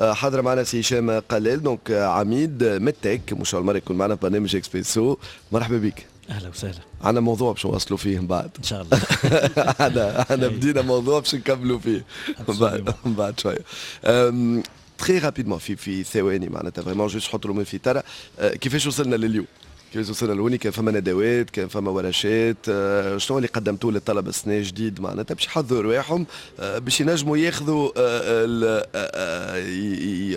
حاضر معنا سي هشام قلال، donc عميد متك، مش اول مرة يكون معنا في برنامج اكسبريسو. مرحبا بك. اهلا وسهلا. عندنا موضوع باش نواصلوا فيه من بعد. ان شاء الله. انا بدينا موضوع باش نكملوا فيه من بعد شويه. très rapidement، في ثواني معناتها، vraiment juste حط في ترى كيفاش وصلنا لليوم، كيفاش وصلنا لهوني؟ كان فما ندوات، كان فما ورشات، شنو اللي قدمتوه للطلبة السنة جديد معناتها باش يحضروا رواحهم باش ينجموا ياخذوا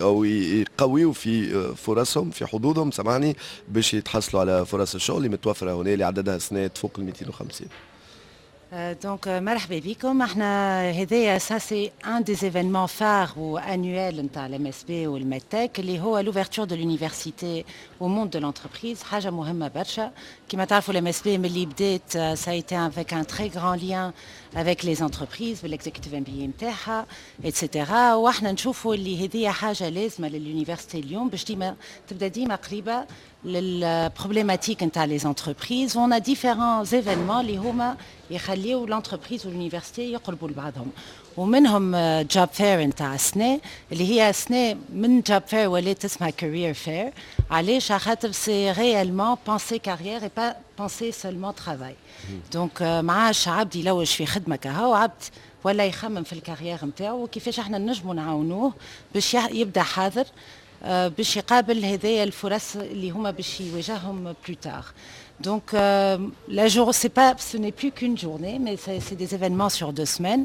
او يقويوا في فرصهم، في حظوظهم، سامحني، باش يتحصلوا على فرص الشغل اللي متوفرة هنا، اللي عددها سنة فوق ال 250؟ donc مرحبا بكم. احنا هذايا ça c'est un des événements phares و annuels نتاع ال MSB وال MEDTEC، اللي هو l'ouverture de l'université au monde de l'entreprise، حاجة مهمة برشا. كما تعرفوا، ال MSB ملي بدات ça a été avec un très grand lien avec les entreprises بال executive MBA نتاعها et cetera. واحنا نشوفوا اللي هذه حاجة لازمه لل université اليوم باش ديما تبدا ديما قريبه لل problématique نتاع les entreprises. on a différents événements اللي هما يخليو l'entreprise وال université يقربوا لبعضهم، ومنهم job fair نتاع السنه، اللي هي سنة من job fair ولات اسمها career fair. علاش؟ خاطر c'est réellement penser carrière et pas penser seulement travail. donc ما عادش عبد يلوج في خدمة كهو، عبد ولا يخمم في ال carrière نتاعو وكيفاش احنا نجموا نعاونوه باش يبدا حاضر باش يقابل هذايا الفرص اللي هما باش يواجههم plus tard. Donc la jour, c'est pas, ce n'est plus qu'une journée, mais c'est des événements sur 2 semaines.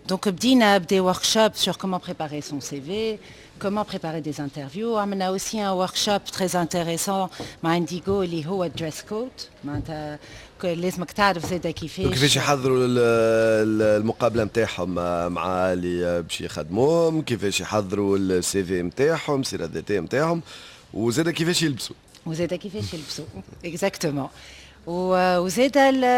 Donc بدينا des workshops sur comment préparer son CV, comment préparer des interviews. On a aussi un workshop très intéressant مع Indigo اللي هو dress code، معناتها لازمك تعرف زاده كيفاش كيفاش يحضروا المقابلة نتاعهم مع اللي باش يخدموهم، كيفاش يحضروا ال CV نتاعهم، السيرة الذاتية نتاعهم، وزاده كيفاش يلبسوا. وزاده كيفاش يلبسوا، exactement. وزاد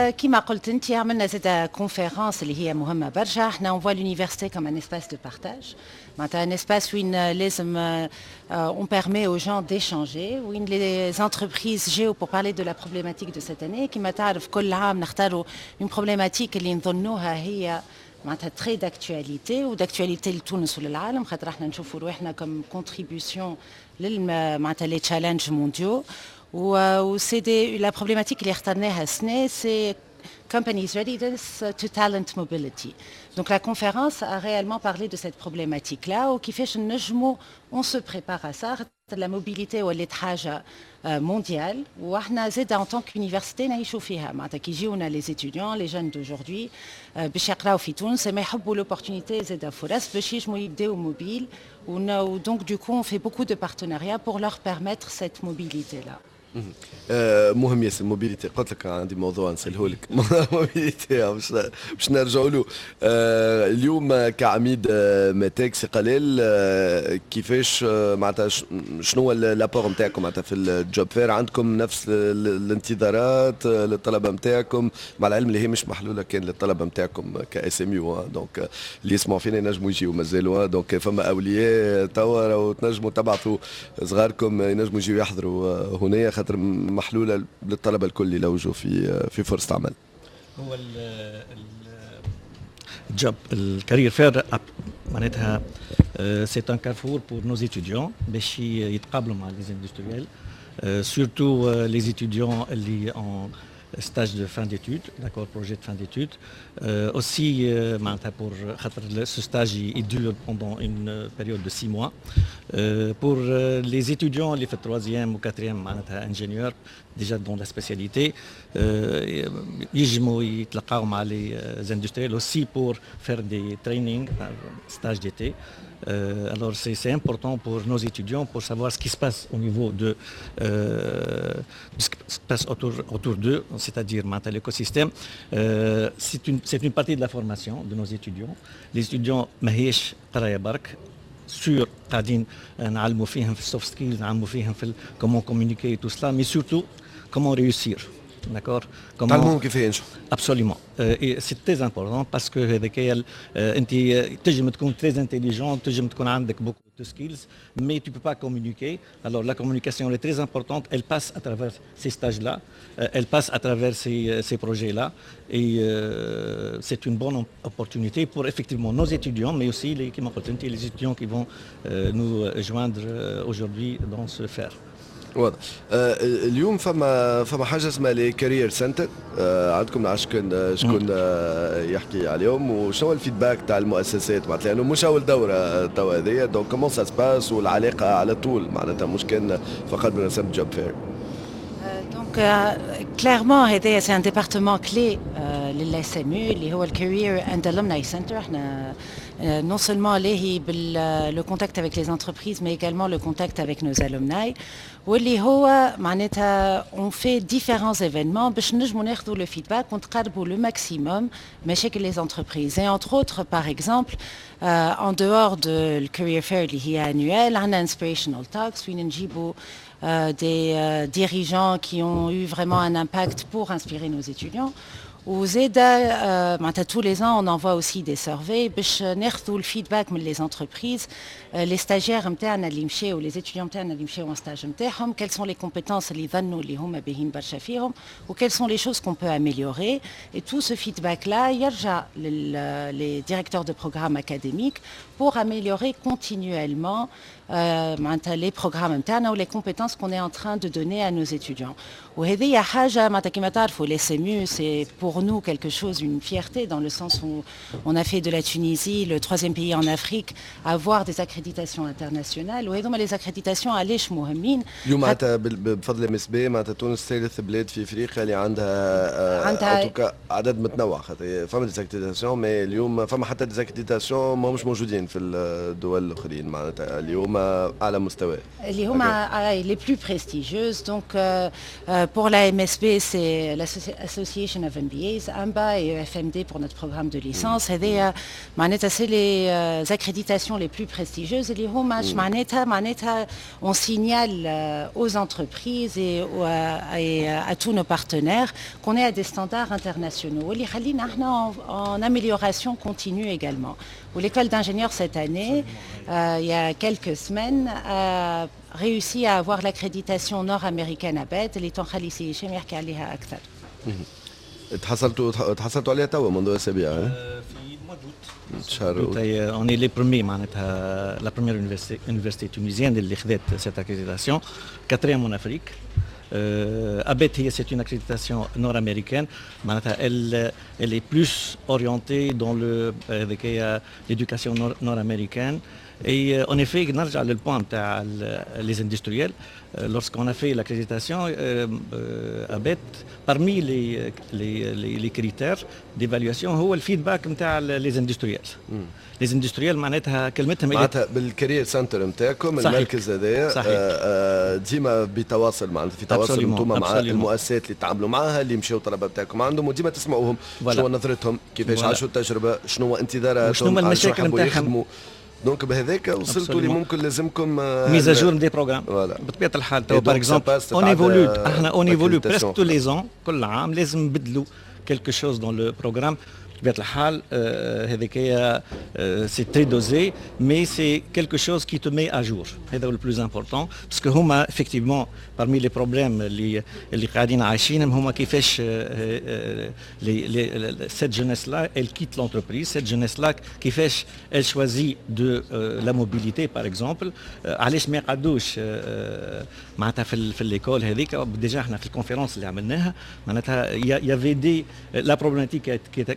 كيما قلت انت، عملنا زاد conférence اللي هي مهمة برشا. احنا on voit l'université comme un espace de partage، معناتها un espace وين لازم on permet aux gens d'échanger، وين les entreprises جاو pour parler de la problématique de cette année. كيما تعرف، كل عام نختاروا une problématique اللي نظنوها هي معناتها très d'actualité و d'actualité لتونس وللعالم، خاطر احنا نشوفوا رواحنا comme contribution معناتها les challenges mondiaux. و c'est la problématique اللي اخترناها السنة c'est Companies Readiness to Talent Mobility. Donc la conférence a réellement parlé de cette problématique-là وكيفاش نجموا on se prépare à ça. La mobilité ولات حاجة mondiale، واحنا زاد en tant qu'université نعيشوا فيها، معناتها كي يجيونا les étudiants، les jeunes d'aujourd'hui باش يقراو في تونس، ما يحبوا l'opportunité زاد فرص باش ينجموا يبداو mobiles، و donc du coup on fait beaucoup de partenariats pour leur permettre cette mobilité-là. مهم ياسر mobilité. قلت لك عندي موضوع نساله لك، mobilité، باش نرجعوا له. اليوم كعميد ميتيك، سي قليل، كيفاش معناتها شنو هو l'apport نتاعكم معناتها في ال job fair؟ عندكم نفس الانتظارات للطلبة نتاعكم؟ مع العلم اللي هي مش محلولة كان للطلبة نتاعكم ك SMU، donc اللي يسمعوا فينا ينجموا يجيو مازالوا. donc فما اولياء توا تنجموا تبعثوا صغاركم، ينجموا يجيو يحضروا هنا، خاطر محلولة للطلبة الكل اللي يلوجوا في فرصة عمل. هو ال job ال career fair معناتها c'est un carrefour pour nos étudiants باش يتقابلوا مع les industriels، surtout les étudiants اللي en stage de fin d'études, d'accord, projet de fin d'études. Aussi, pour ce stage, il dure pendant une période de 6 mois. Pour les étudiants, اللي في troisième ou quatrième ingénieur, déjà dans la spécialité, ينجموا يتلقاو مع les industriels aussi pour faire des trainings, stage d'été. Alors c'est important pour nos étudiants pour savoir ce qui se passe au niveau de ce qui se passe autour d'eux, c'est-à-dire l'écosystème. C'est une partie de la formation de nos étudiants. Les étudiants ماهيش قرايه برك، sûr قاعدين نعلموا فيهم في ال soft skills، نعلموا فيهم في comment communiquer, tout cela, mais surtout comment réussir. D'accord؟ تعلموهم كيف ينجحوا. Absolument. c'est très important parce que هذاك انت تنجم تكون très intelligent، تنجم تكون عندك beaucoup de skills، mais tu peux pas communiquer. Alors la communication elle est très importante، elle passe à travers ces stages-là، elle passe à travers ces projets-là et c'est une bonne opportunité pour effectivement nos étudiants، mais aussi les كما قلت انت les étudiants qui vont nous joindre aujourd'hui dans ce fair. واضح. اليوم فما حاجة اسمها les career center عندكم، نعرفش شكون يحكي عليهم وشنو ال feedback تاع المؤسسات، معناتها لانه مش اول دوره توا هذيا، donc comment ça se passe والعلاقة على طول، معناتها مش كان فقط بمناسبة job fair؟ Donc clairement هذايا c'est un département clé لل SMU اللي هو ال Career and Alumni Center. احنا non seulement لاهي le contact avec les entreprises، mais également le contact avec nos alumni، واللي هو معناتها on fait différents événements باش نجموا ناخذوا le feedback ونتقربوا le maximum مشاكل les entreprises. et entre autres، par exemple، en dehors de le career fair اللي هي annuelle، عندنا inspirational talks وين نجيبوا des dirigeants qui ont eu vraiment un impact pour inspirer nos étudiants. وزيدا معناتها tous les ans on envoie aussi des surveys باش ناخذوا ال feedback من les entreprises، les stagiaires نتاعنا اللي مشاو، les étudiants نتاعنا اللي مشاو en stage نتاعهم، quelles sont les compétences اللي ظنوا اللي هما باهين برشا فيهم و quelles sont les choses qu'on peut améliorer. et tout ce feedback là يرجع les directeurs de programmes académiques pour améliorer continuellement معناتها les programmes نتاعنا و les compétences qu'on est en train de donner à nos étudiants. وهذه حاجة معناتها كما تعرفوا les SMU c'est pour nous quelque chose، une fierté، dans le sens où on a fait de la Tunisie le troisième pays en Afrique à avoir des accréditations internationales. وهذوما les accréditations علاش مهمين؟ اليوم معناتها بفضل MSB معناتها تونس ثالث بلاد في افريقيا اللي عندها عندها عدد متنوع، خاطر فما des accréditations، mais اليوم فما حتى des accréditations ماهمش موجودين في الدول الاخرين، معناتها اليوم اعلى مستوى. اللي هما les plus prestigieuses. donc pour la MSB c'est l'Association of MBAs، AMBA et EFMD pour notre programme de licence. هذايا معناتها c'est les accréditations les plus prestigieuses. اللي هما معناتها on signale aux entreprises et à tous nos partenaires qu'on est à des standards internationaux، واللي يخلينا احنا en amélioration continue également. L'école d'ingénieurs cette année، il y a quelques semaines، a réussi à avoir l'accréditation nord-américaine ABET، اللي تنخلي سي هشام يحكي عليها أكثر. تحصلتوا عليها توا منذ اسابيع؟ في mois d'août. شهر. on est les premiers، معناتها la première université tunisienne اللي خذت cette accréditation، quatrième en Afrique. ABET هي c'est une accréditation nord-américaine، معناتها elle est plus orientée dans le هذيك l'éducation nord-américaine. et en effet نرجع لل point تاع les industriels، lorsqu'on a fait l'accréditation ABET، parmi les critères d'évaluation هو ال feedback نتاع les industriels. les industriels معناتها كلمتهم. معناتها بال career center نتاعكم، المركز هذايا ديما بتواصل، معناتها في تواصل انتم مع المؤسسات اللي تعاملوا معاها، اللي مشاو الطلبة نتاعكم عندهم، وديما تسمعوهم شنو نظرتهم، كيفاش عاشوا التجربه، شنو انتظاراتهم، شنو المشاكل نتاعهم. donc بهذاك وصلتوا لي ممكن لازمكم mise à jour des programmes بطبيعة الحال. تو par exemple on évolue، احنا on évolue presque tous les ans، كل عام لازم نبدلوا quelque chose dans le programme. بطبيعة الحال هذيك c'est très dosé، mais c'est quelque chose qui te met à jour، هذا هو le plus important، parce que هما effectivement parmi les problèmes اللي قاعدين عايشينهم هما كيفاش les cette jeunesse-là elle quitte l'entreprise، cette jeunesse-là كيفاش elle choisit de la mobilité par exemple، علاش ما يقعدوش معناتها في l'école هذيك. déjà احنا في ال conférence اللي عملناها معناتها y avait des la problématique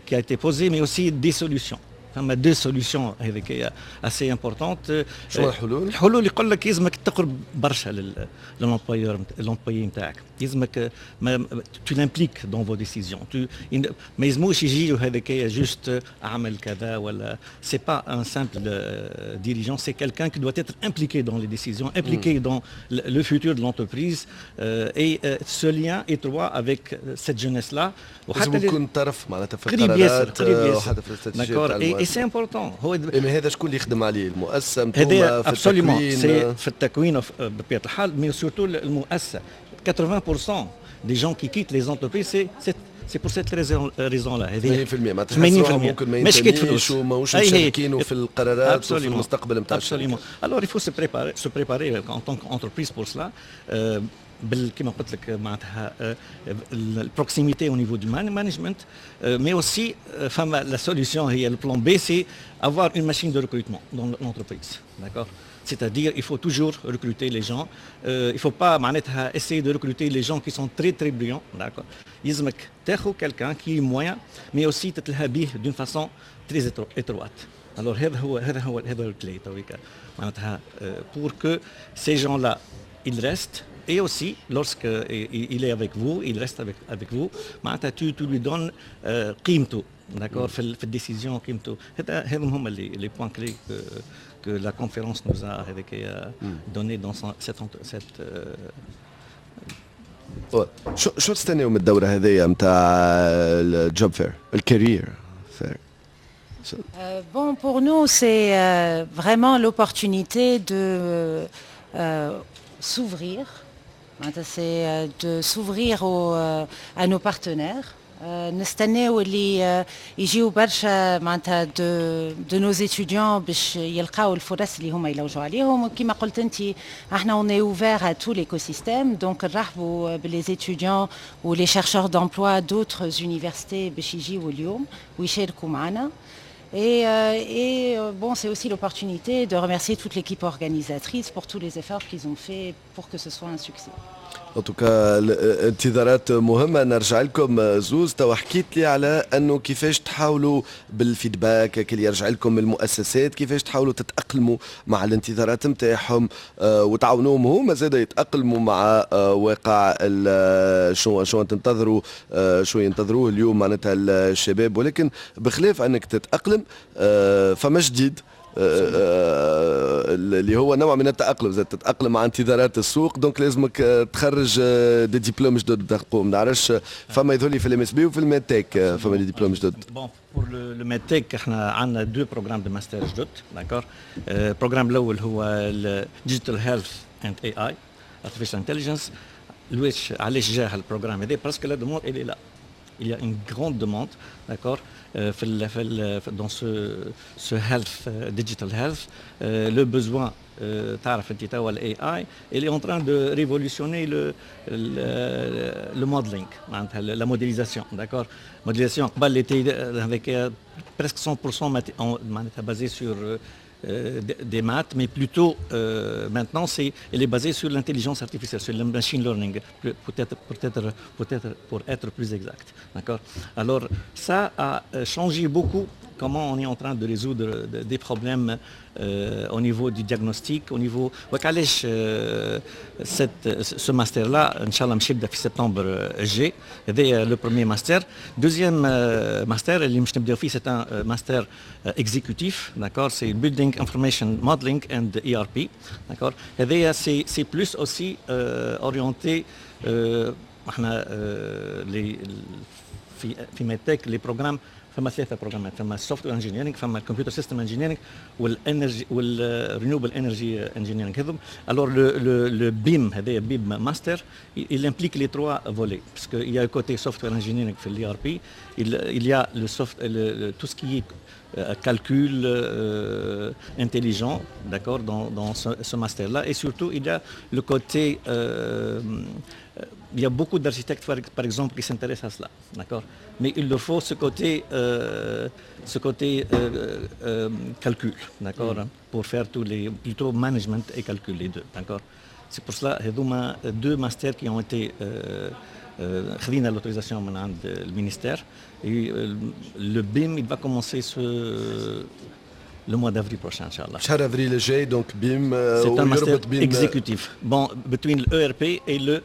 qui a été posée، mais aussi des solutions. فما deux solutions هذيك assez importantes. شنو الحلول؟ الحلول يقول لك يلزمك تقرب برشا لل employeur، l'employé نتاعك، يلزمك tu l'impliques dans vos décisions. ما يلزموش يجي هذاك juste اعمل كذا ولا، c'est pas un simple dirigeant، c'est quelqu'un qui doit être impliqué dans les décisions، impliqué dans le futur de l'entreprise et ce lien étroit avec cette jeunesse là. وحتى يكون طرف معناتها في قريب ياسر، قريب ياسر، d'accord، et c'est important. هو هذا شكون اللي يخدم عليه؟ المؤسسه؟ هذا absolument c'est في التكوين بطبيعة الحال، mais surtout المؤسسه، 80%. des gens qui quittent les entreprises، c'est pour cette raison-là. 80% معناتها 80% ممكن ما ينتميش وماهوش مشاركين في القرارات وفي المستقبل نتاع الشركه. Alors il faut se préparer en tant qu'entreprise pour cela. بال كما قلت لك معناتها ال proximité au niveau du management، mais aussi فما la solution هي le plan B، c'est avoir une machine de recrutement dans l'entreprise، d'accord؟ C'est-à-dire، il faut toujours recruter les gens. Il ne faut pas معناتها essayer de recruter les gens qui sont très très brillants. D'accord؟ يلزمك تاخذ quelqu'un qui est moyen، mais aussi تتلهى به d'une façon très étroite. Alors هذا هو ال clé تويكا معناتها pour que ces gens-là ils restent، et aussi lorsque il est avec vous، il reste avec vous، معناتها tu lui donnes قيمته، d'accord؟ في ال décision قيمته. هذا هما les points clés que la conférence nous a donné dans cette شو تستناو من الدورة هذيا نتاع ال job fair، ال career fair؟ Bon، pour nous، c'est vraiment l'opportunité de s'ouvrir. C'est de s'ouvrir à nos partenaires. نستناو اللي يجيو برشا معناتها de nos étudiants باش يلقاو الفرص اللي هما يلوجوا عليهم. وكما قلت انت، احنا on est ouvert à tout l'écosystème، donc نرحبوا ب les étudiants و les chercheurs d'emploi d'autres universités باش يجيو اليوم ويشاركوا معنا. Et bon، c'est aussi l'opportunité de remercier toute l'équipe organisatrice pour tous les efforts qu'ils ont faits pour que ce soit un succès. En tout cas انتظارات مهمه. نرجع لكم زوز. تو حكيت لي على انه كيفاش تحاولوا بال feedback اللي يرجع لكم من المؤسسات، كيفاش تحاولوا تتاقلموا مع الانتظارات نتاعهم وتعاونوهم هما زاد يتاقلموا مع واقع شو تنتظروا، شو ينتظروه اليوم معناتها الشباب. ولكن بخلاف انك تتاقلم، فما جديد اللي هو نوع من التاقلم زاد، تتاقلم مع انتظارات السوق، donc لازمك تخرج des diplômes جدد. ما نعرفش، فما يظهر لي في ال MSB وفي ال MedTech فما des diplômes جدد. Bon، pour le MedTech احنا عندنا deux programmes de master جدد، d'accord؟ ال programme الاول هو ال digital health and AI، artificial intelligence. علاش جا ال programme هذا؟ parce que la demande elle est là، il y a une grande demande، d'accord؟ في dans ce health، digital health، le besoin، تعرف انت توا ال AI il est en train de révolutionner le modeling، معناتها la modélisation، d'accord؟ modélisation قبل était avec presque 100% معناتها basé sur des maths، mais plutôt maintenant، elle est basée sur l'intelligence artificielle، sur le machine learning، peut-être, peut-être, peut-être pour être plus exact. D'accord؟ Alors، ça a changé beaucoup comment on est en train de résoudre des problèmes au niveau du diagnostic، au niveau. وعلاش ce master-là، إن شاء الله، مش يبدا في سبتمبر الجاي. هذا le premier master. Deuxième master اللي مش نبداو فيه، c'est un master exécutif، d'accord؟ C'est Building Information Modeling and ERP، d'accord؟ هذايا c'est plus aussi orienté احنا les في MedTech les programmes، فما ثلاثة programmes، فما ال software engineering، فما ال computer system engineering، وال energy وال renewable energy engineering هذم. Alors le BIM هذايا BIM master، il implique les trois volets، parce qu'il y a le côté software engineering في l'ERP، il y a le soft le, tout ce qui est calcul intelligent، d'accord، dans ce master-là، et surtout il y a le côté il y a beaucoup d'architectes، par exemple، qui s'intéressent à cela، d'accord؟ Mais il leur faut ce côté calcul، d'accord؟ Pour faire tous les, plutôt management et calcul، les deux، d'accord؟ C'est pour cela هذوما deux masters qui ont été خذينا l'autorisation من عند ال ministère. Et le BIM، il va commencer le mois d'avril prochain، إن شاء الله. شهر افريل الجاي donc BIM. C'est un master exécutif، bon، between le ERP et le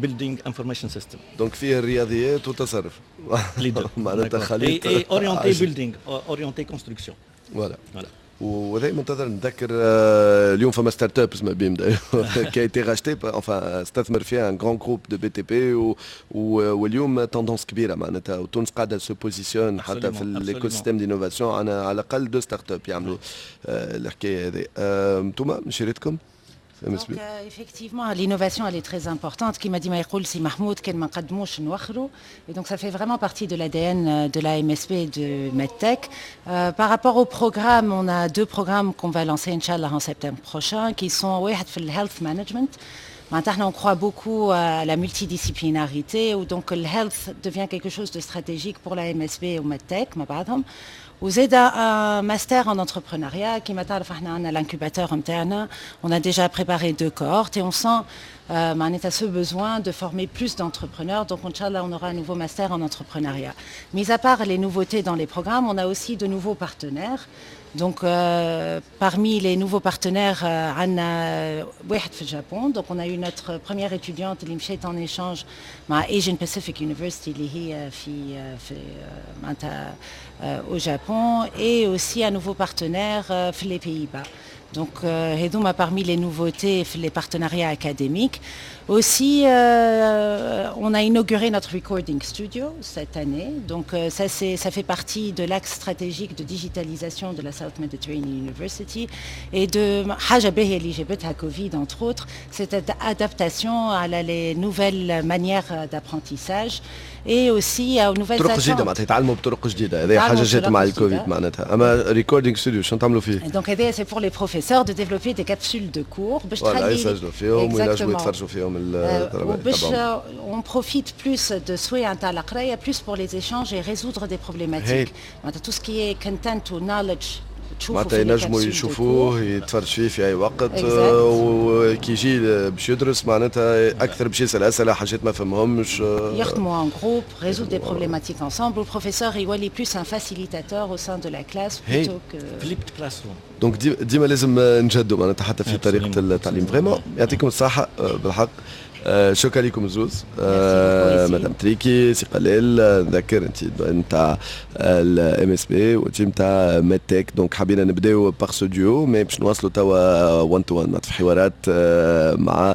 Building Information System. Donc فيه الرياضيات والتصرف. Les deux. معناتها خليط. Et orienté building، orienté construction. Voilà. Voilà. وهذا منتظر. نذكر اليوم فما startup اسمها BIM qui a été rachetée، enfin استثمر فيها un grand groupe de BTP، واليوم tendance كبيرة معناتها، وتونس قاعدة se positionne حتى في l'écosystème d'innovation. عندنا على الاقل deux startups يعملوا الحكاية هذه. انتم مشيرتكم؟ MSB. Donc, effectivement, l'innovation, elle est très importante. كيما ديما يقول سي محمود كان ما نقدموش نوخروا. Et donc, ça fait vraiment partie de l'ADN de la MSB et de MedTech. Par rapport au programme, on a deux programmes qu'on va lancer, إن شاء الله, en septembre prochain, qui sont واحد في health management. Maintenant, on croit beaucoup à la multidisciplinarité, où donc le health devient quelque chose de stratégique pour la MSB و MedTech, مع بعضهم. وزاد un master en entrepreneuriat. كيما تعرف احنا عندنا l'incubateur نتاعنا, on a déjà préparé deux cohortes et on sent معناتها ce besoin de former plus d'entrepreneurs. Donc, إن شاء الله, on aura un nouveau master en entrepreneuriat. Mis à part les nouveautés dans les programmes, on a aussi de nouveaux partenaires. Donc, parmi les nouveaux partenaires, عندنا واحد في Japon. Donc, on a eu notre première étudiante اللي مشات en échange مع Asian Pacific University اللي هي في معناتها au Japon et aussi un nouveau partenaire في les Pays-Bas. Donc, هذوما parmi les nouveautés في les partenariats académiques. Aussi, on a inauguré notre recording studio cette année. Donc, ça fait partie de l'axe stratégique de digitalisation de la South Mediterranean University et de حاجة باهية اللي جابتها Covid, entre autres, cette adaptation à les nouvelles manières d'apprentissage et aussi aux nouvelles طرق جديده, معناتها يتعلموا بطرق جديده. هذه حاجة جات مع الكوفيد معناتها. اما recording studio شنو تعملوا فيه؟ Donc هذا c'est pour les professeurs de développer des capsules de cours باش تخلي يسجلوا فيهم وينجموا يتفرجوا فيهم. وباش on profite plus de سوايع نتاع القراية plus pour les échanges et résoudre des problématiques. معناتها tout ce qui est content ou knowledge. معناتها ينجموا يشوفوه, يتفرج فيه في اي وقت, وكي يجي باش يدرس معناتها اكثر باش يسال اسئله, حاجات ما فهمهمش. يخدموا en groupe, résoudre des problématiques ensemble. Le professeur يولي plus un facilitateur au sein de la classe plutôt que flipped classroom. donc ديما لازم نجدوا معناتها حتى في طريقه التعليم. vraiment يعطيكم الصحة بالحق. شكرا لكم زوز, مدام تريكي, سي قليل. نذكر انت نتاع ال MSB وانت نتاع MedTech. donc حبينا نبداو par ce duo, mais باش نواصلوا توا 1 to 1 في حوارات مع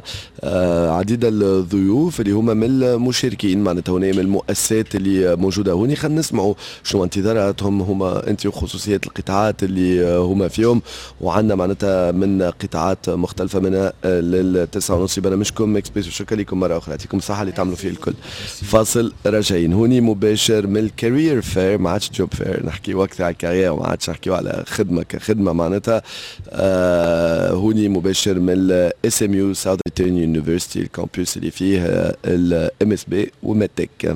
عديد الضيوف اللي هما من المشاركين معناتها هنا, من المؤسسات اللي موجودة هوني. خلينا نسمعوا شنو انتظاراتهم هما انت وخصوصيات القطاعات اللي هما فيهم, وعندنا معناتها من قطاعات مختلفه. من لل9:30 برنامجكم اكسبريسو. شكرا لكم مرة اخرى, يعطيكم الصحة اللي تعملوا فيه الكل. فاصل, راجعين هوني مباشر من ال career fair, ما عادش job fair, نحكي وقتها على ال carrière وما عادش نحكيو على خدمة كخدمة معناتها. هوني مباشر من ال SMU, South Mediterranean University, ال campus اللي فيه ال MSB و MedTech.